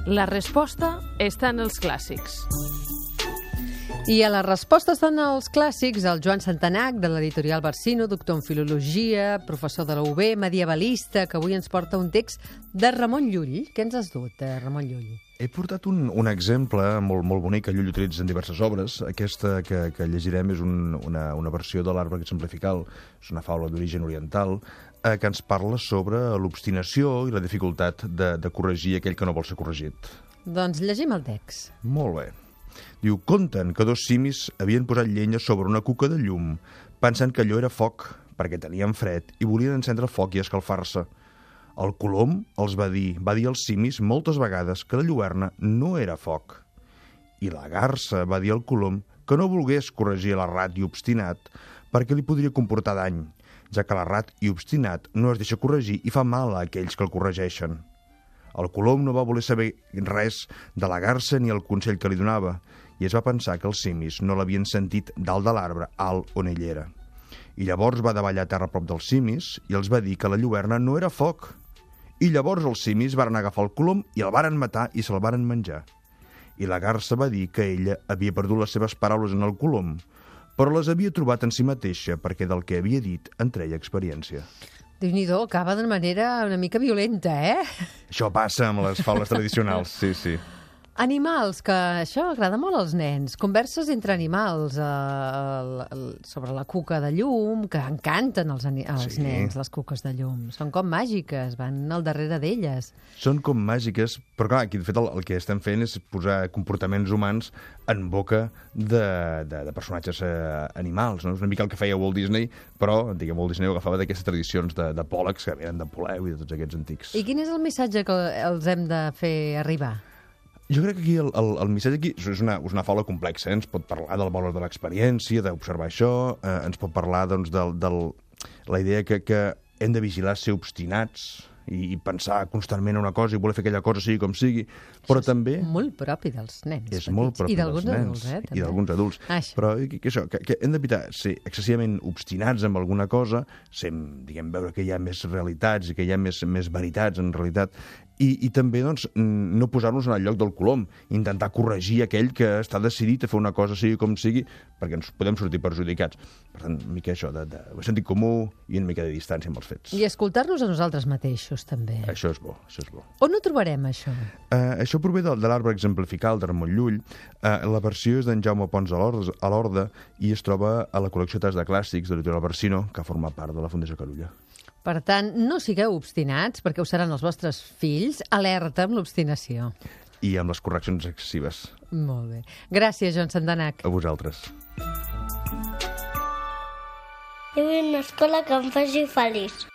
La resposta està en els clàssics. I a les respostes estan els clàssics, el Joan Santanac, de l'editorial Barsino, doctor en filologia, professor de la UB, medievalista, que avui ens porta un text de Ramon Llull. Què ens has dut, Ramon Llull? He portat un exemple molt bonic que Llull utilitza en diverses obres. Aquesta que llegirem és una versió de l'Arbre exemplifical, és una faula d'origen oriental, que ens parla sobre l'obstinació i la dificultat de corregir aquell que no vol ser corregit. Doncs llegim el text. Molt bé. Diu, conten que dos simis havien posat llenya sobre una cuca de llum, pensant que allò era foc, perquè tenien fred i volien encendre el foc i escalfar-se. El colom els va dir als simis moltes vegades que la lluerna no era foc. I la garsa va dir al colom que no volgués corregir l'errat i obstinat perquè li podria comportar dany, ja que l'errat i obstinat no es deixa corregir i fa mal a aquells que el corregeixen. El colom no va voler saber res de la garsa ni el consell que li donava, i es va pensar que els simis no l'havien sentit dalt de l'arbre alt on ell era. I llavors va davallar a terra a prop dels simis i els va dir que la lluerna no era foc. I llavors els simis varen agafar el colom i el varen matar i se'l varen menjar. I la garsa va dir que ella havia perdut les seves paraules en el colom, però les havia trobat en si mateixa perquè del que havia dit en treia experiència. Déu-n'hi-do, acaba de manera una mica violenta, Això passa amb les faules tradicionals, sí. Animals, que això agrada molt als nens. Converses entre animals sobre la cuca de llum, que encanten als nens, les cuques de llum. Són com màgiques, van al darrere d'elles. Són com màgiques, però clar, aquí de fet el que estem fent és posar comportaments humans en boca de personatges animals, no? És una mica el que feia Walt Disney, però Walt Disney ho agafava d'aquestes tradicions de pòlegs que venen de Poleu i de tots aquests antics. I quin és el missatge que els hem de fer arribar? Jo crec que aquí el missatge aquí és una faula complexa. Ens pot parlar del valor de l'experiència, d'observar això, ens pot parlar doncs, de la idea que hem de vigilar ser obstinats i pensar constantment en una cosa i voler fer aquella cosa sigui com sigui, però això també... És molt propi dels nens. És molt propi dels nens. I d'alguns adults. Però que hem d'evitar ser excessivament obstinats amb alguna cosa, veure que hi ha més realitats i que hi ha més veritats en realitat, i també doncs, no posar-nos en el lloc del colom, intentar corregir aquell que està decidit a fer una cosa sigui com sigui, perquè ens podem sortir perjudicats. Per tant, una mica això de sentit comú i una mica de distància amb els fets. I escoltar-nos a nosaltres mateixos, també. Això és bo. On ho trobarem, això? Això prové de l'Arbre exemplifical de Ramon Llull. La versió és d'en Jaume Pons a l'Horda i es troba a la col·lecció Tas de Clàssics de l'editorial Barsino, que forma part de la Fundació Carulla. Per tant, no sigueu obstinats, perquè ho seran els vostres fills. Alerta amb l'obstinació. I amb les correccions excessives. Molt bé. Gràcies, Joan Santanac. A vosaltres. Jo vull una escola que em faci feliç.